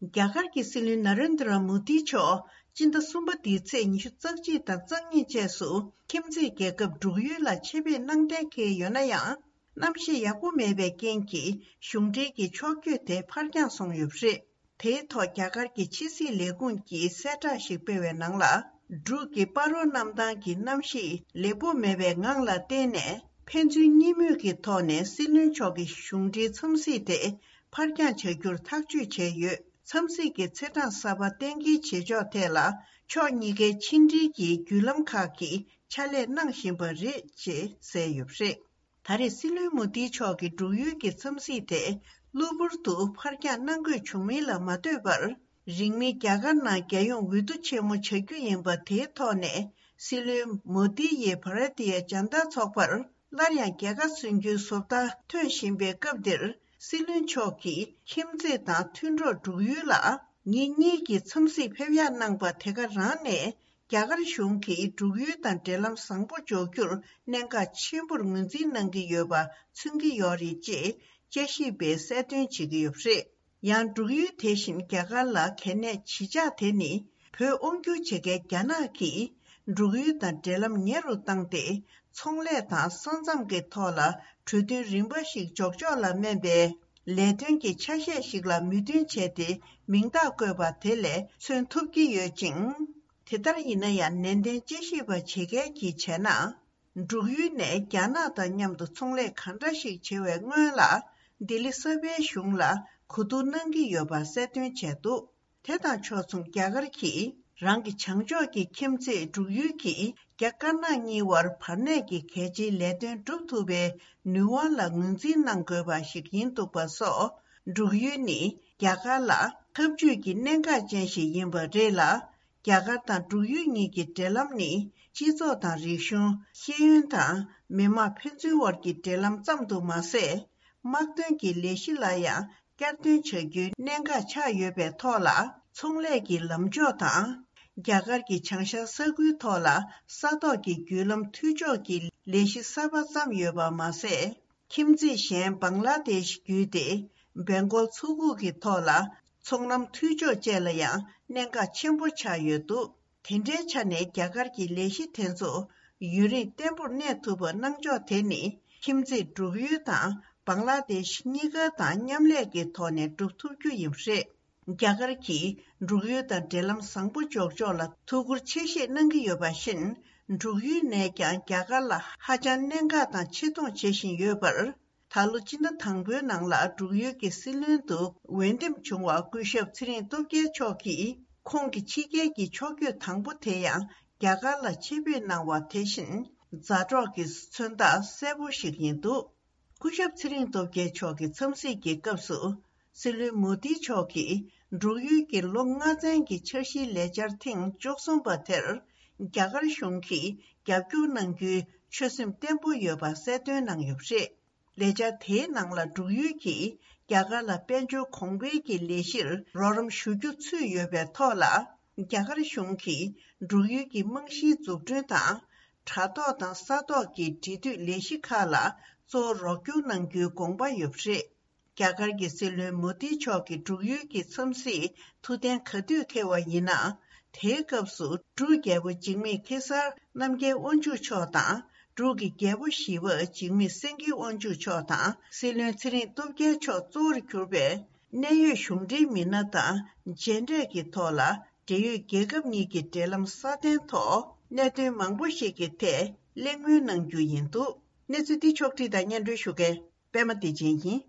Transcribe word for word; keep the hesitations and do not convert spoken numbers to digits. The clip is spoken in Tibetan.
རྒྱ་གར་གྱི་སྲིད་བློན་ན་རེན་དྲ་མོ་དི་མཆོག་སྤྱི་ཟླ་གསུམ་པ་འདིའི་ཚེས་ཉི་ཤུ་རྩ་གཅིག་དང་རྩ་གཉིས་བཅས་སུ་ཁྱིམ་མཚེས་རྒྱལ་ཁབ་འབྲུག་ཡུལ་ལ་ཆེད་ཕེབས་གནང་གཏན་འཁེལ་ཡོད་ན་ཡང་། གནམ་གཤིས་ཡག་པོ་མེད་པའི་རྐྱེན་གྱིས་གཞུང་འབྲེལ་གྱི་ཕྱོགས་བསྐྱོད་དེ་ཕར་འགྱངས་སོང་ཡོད་པ་རེད། དེའི་ཐོག་རྒྱ་གར་གྱི་ཕྱི་སྲིད་ལས་ཁུངས་ཀྱིས་གསལ་བསྒྲགས་ཤིག་སྤེལ་བའི་ནང་ལ། འབྲུག་གི་སྤ་རོ་གནམ་ཐང་གི་གནམ་གཤིས་ལེགས་པོ་མེད་པའི་ངང་ལ་བརྟེན་ནས། ཕན་ཚུན་གཉིས་མོས་ཀྱི་ཐོག་ནས་སྲིད་བློན་མཆོག་གི་གཞུང་འབྲེལ་འཚམས་གཟིགས་དེ་ཕར་འགྱངས་བྱ་རྒྱུར་ཐག་གཅོད་བྱས་ཡོད། འཚམས་གཟིགས་ཀྱི་ཚེས་གྲངས་གསར་པ་གཏན་འཁེལ་བྱེད་ཕྱོགས་ཐད་ལ། ཕྱོགས་གཉིས་ཀའི་ཕྱི་འབྲེལ་གྱི་བརྒྱུད་ལམ་ཁག་གིས་ཕྱག་ལས་གནང་བཞིན་པ་རེད་ཅེས་གསལ་ཡོད་པ་རེད། ད་རེས་སྲིད་བློན་མོ་དི་མཆོག་གི་འབྲུག་ཡུལ་གྱི་འཚམས་གཟིགས་དེ་གློ་བུར་དུ་ཕར་འགྱངས་གནང་དགོས་བྱུང་མིན་ལ་མ་ལྟོས་པར། རིང་མིན་རྒྱ་གར་ནང་རྒྱལ་ཡོངས་འོས་བསྡུ་ཆེན་མོ་བྱ་རྒྱུ་ཡིན་པ་དེའི་ཐོག་ནས། སྲིད་བློན་མོ་དི་ཡིས་བྷ་ར་ཏི་ཡ་ཇན་ད་ཚོགས་པར་སླར་ཡང་རྒྱལ་ཁ་སོན་རྒྱུའི་བཟོ་ལྟ་ཐོན་བཞིན་པའི་སྐབས་འདིར། སྲིད་བློན་མཆོག་གིས་ཁྱིམ་མཚེས་དང་མཐུན་གྲོགས་འབྲུག་ཡུལ་ལ་ཉིན་གཉིས་ཀྱི་འཚམས་གཟིགས་ཕེབས་ཡག་གནང་པ་དེ་ག་རང་ནས། རྒྱ་གར་གཞུང་གིས་འབྲུག་ཡུལ་དང་འབྲེལ་ལམ་བཟང་པོ་འཇོག་རྒྱུར་གནད་འགག་ཆེན་པོར་ངོས་འཛིན་གནང་གི་ཡོད་པ་མཚོན་གྱི་ཡོད་རེད་ཅེས་དཔྱད་ཞིབ་པས་གསལ་སྟོན་བྱེད་ཀྱི་ཡོད་པ་རེད། ཡང་འབྲུག་ཡུལ་དེ་བཞིན་རྒྱ་གར་ལ་གལ་གནད་ཇི་ཆགས་དེ་ནི། བོད་དབང་སྒྱུར་བྱེད་མཁན་རྒྱ་ནག་གིས་འབྲུག་ཡུལ་དང་འབྲེལ་ལམ་ཉེ་རུ་བཏང་སྟེ། ཚོང་ལས་དང་ས་མཚམས་ཀྱི་ཐོག་ལ་གྲོས་མཐུན་རིམ་པ་ཞིག་འཇོག་ཕྱོགས་ལ་སྨན་པའི་ལས་དོན་གྱི་ཆ་ཤས་ཤིག་ལ་མོས་མཐུན་བྱས་ཏེ་མིང་རྟགས་བཀོད་པ་དེ་ལས་མཚོན་ཐུབ་ཀྱི་ཡོད་ཅིང་། དེ་ལྟར་ཡིན་ན་ཡང་ནན་ཏན་དཔྱད་ཞིབ་པ་བྱེད་མཁན་གྱིས་བྱས་ན། འབྲུག་ཡུལ་ནས་རྒྱ་ནག་དང་མཉམ་དུ་ཚོང་ལས་ག་འདྲ་ཞིག་བྱེད་པའི་སྔོན་ལ། ལྡི་ལི་གསར་པའི་གཞུང་ལ་གོ་བསྡུར་གནང་གི་ཡོད་པ་གསལ་སྟོན་བྱས་འདུག་དེ་དང་ཕྱོགས་མཚུངས། རྒྱ་གར་གྱིས་རང་གི་བྱང་ཕྱོགས་ཀྱི་ཁྱིམ་མཚེས་འབྲུག་ཡུལ་གྱིས་རྒྱ་དཀར་ནག་གཉིས་བར་བར་གནས་ཀྱི་གལ་ཆེའི་ལས་དོན་སྒྲུབ་ཐུབ་པའི་ནུས་དབང་ལ་ངོས་འཛིན་གནང་དགོས་པ་ཞིག་ཡིན་འདུག་པ་སོགས། འབྲུག་ཡུལ་ནི་རྒྱ་གར་ལ་འཐབ་ཇུས་ཀྱི་གནད་འགག་ཅན་ཞིག་ཡིན་པ་རེད་ལ། རྒྱ་གར་དང་འབྲུག་ཡུལ་གཉིས་ཀྱི་འབྲེལ་ལམ་ནི། སྤྱི་ཚོགས་དང་རིག་གཞུང་། ཤེས་ཡོན་དང་། མི་དམངས་ཕན་ཚུན་དབར་གྱི་འབྲེལ་ལམ་ཙམ་དུ་མ་ཟད། དམག་དོན་གྱི་ལས་གཞི་ལ་ཡང་བསྐྱར་ཟློས་བྱ་རྒྱུའི་གནད་འགག་ཆགས་ཡོད་པའི་ཐོག་ལ། ཚོང་ལས་ཀྱི་ལམ་ཕྱོགས་དང་། རྒྱ་གར་གྱི་བྱང་ཤར་ས་ཁུལ་ཐོག་ལ་ས་ཐོག་གི་བརྒྱུད་ལམ་མཐུད་ཕྱོགས་ཀྱི་ལས་གཞི་གསར་པ་བརྩམས་ཡོད་པ་མ་ཟད། ཁྱིམ་མཚེས་གཞན་བང་ལ་དེཤ་བརྒྱུད་དེ་བེང་གོལ་མཚོ་ཁུག་གི་ཐོག་ལ་ཚོང་ལམ་མཐུད་ཕྱོགས་བཅས་ལ་ཡང་གནད་འགག་ཆེན་པོ་ཆགས་ཡོད་འདུག་དེ་འདྲའི་ཆ་ནས་རྒྱ་གར་གྱི་ལས་གཞི་དེ་ཚོ་ཡུན་རིང་བརྟན་པོར་གནས་ཐུབ་པ་གནང་ཕྱོགས་དེ་ནི་ཁྱིམ་མཚེས་འབྲུག་ཡུལ་དང་བང་ལ་དེཤ་གཉིས་ཀ་དང་མཉམ་ལས་ཀྱི་ཐོག་ནས་སྒྲུབ་ཐུབ་རྒྱུ་ཡིན་པ་རེད། རྒྱ་གར་གྱིས་འབྲུག་ཡུལ་དང་འབྲེལ་ལམ་བཟང་པོ་འཇོག་ཕྱོགས་ལ་ཐུགས་ཁུར་ཆེ་བཞེས་གནང་གི་ཡོད་པ་བཞིན། འབྲུག་ཡུལ་ནས་ཀྱང་རྒྱ་གར་ལ་ཧ་ཅང་གནད་འགག་དང་ཆེ་མཐོང་བྱེད་བཞིན་ཡོད་པར། ད་ལོ་སྤྱི་ཟླ་དང་པོའི་ནང་ལ་འབྲུག་ཡུལ་གྱི་སྲིད་བློན་དུ་འོས་འདེམས་བྱུང་བ་སྐུ་ཞབས་ཚེ་རིང་སྟོབས་རྒྱལ་མཆོག་གིས་ཁོང་གི་ཕྱི་རྒྱལ་གྱི་ཕྱོགས་བསྐྱོད་དང་པོ་དེ་ཡང་རྒྱ་གར་ལ་ཆེད་ཕེབས་གནང་བ་དེ་བཞིན་མཛའ་གྲོགས་ཀྱི་མཚོན་རྟགས་གསལ་པོ་ཞིག་ཡིན་འདུག་སྐུ་ཞབས་ཚེ་རིང་སྟོབས་རྒྱལ་མཆོག་གི་འཚམས་གཟིགས་ཀྱི་སྐབས་སུ། སྲིད་བློན་མོ་དི་མཆོག་གིས་འབྲུག་ཡུལ་གྱི་ལོ་ལྔ་ཚན་གྱི་འཆར་གཞིའི་ལས་འཆར་ཐེངས་བཅུ་གསུམ་པ་དེར། རྒྱ་གར་གཞུང་གིས་རྒྱབ་སྐྱོར་གནང་རྒྱུའི་ཆོད་སེམས་བརྟན་པོ་ཡོད་པ་གསལ་སྟོན་གནང་ཡོད་པ་རེད། ལས་འཆར་དེའི་ནང་ལ་འབྲུག་ཡུལ་གྱིས་རྒྱ་གར་ལ་དཔལ་འབྱོར་གོང་འཕེལ་གྱི་ལས་གཞིར་རོགས་རམ་ཞུ་རྒྱུ་ཚུད་ཡོད་པའི་ཐོག་ལ། རྒྱ་གར་གཞུང་གིས་འབྲུག་ཡུལ་གྱི་རྨང་གཞིའི་འཛུགས་སྐྲུན་དང་། དྲ་ཐོག་དང་ས་ཐོག་གི་འབྲེལ་མཐུད་ལས་གཞི་ཁག་ལ་གཙོ་བོ་རོགས་སྐྱོར་གནང་རྒྱུའི་དགོངས་པ་ཡོད་པ་རེད། རྒྱ་གར་གྱི་སྲིད་བློན་མོ་དི་མཆོག་གི་འབྲུག་ཡུལ་གྱི་འཚམས་གཟིགས་ཐུགས་གཏན་ག་དུས་འཁེལ་བ་ཡིན་ན། དེའི་སྐབས་སུ་འབྲུག་རྒྱལ་པོ་འཇིགས་མེད་ཁེ་སར་རྣམ་རྒྱལ་དབང་ཕྱུག་མཆོག་དང་། འབྲུག་གི་རྒྱལ་པོ་བཞི་པ་འཇིགས་མེད་སེང་གེ་དབང་ཕྱུག་མཆོག་དང་། སྲིད་བློན་ཚེ་རིང་སྟོབས་རྒྱལ་མཆོག་གཙོ་བོར་གྱུར་པའི་གནད་ཡོད་གཞུང་འབྲེལ་མི་སྣ་དང་མཇལ་འཕྲད་ཀྱི་ཐོག་ལ། འབྲེལ་ཡོད་རྒྱལ་ཁབ་གཉིས་ཀྱི་འབྲེལ་ལམ་སྲ་བརྟན་ཐོག་གནད་དོན་མང་པོ་ཞིག་གི་ཐད་གླེང་མོལ་གནང་རྒྱུ་ཡིན་འདུག་གནས་ཚུལ་འདི་ཕྱོགས་བསྒྲིགས་དང་སྙན་སྒྲོན་ཞུ་མཁན་པད་མ་བདེ་ཆེན་ཡིན།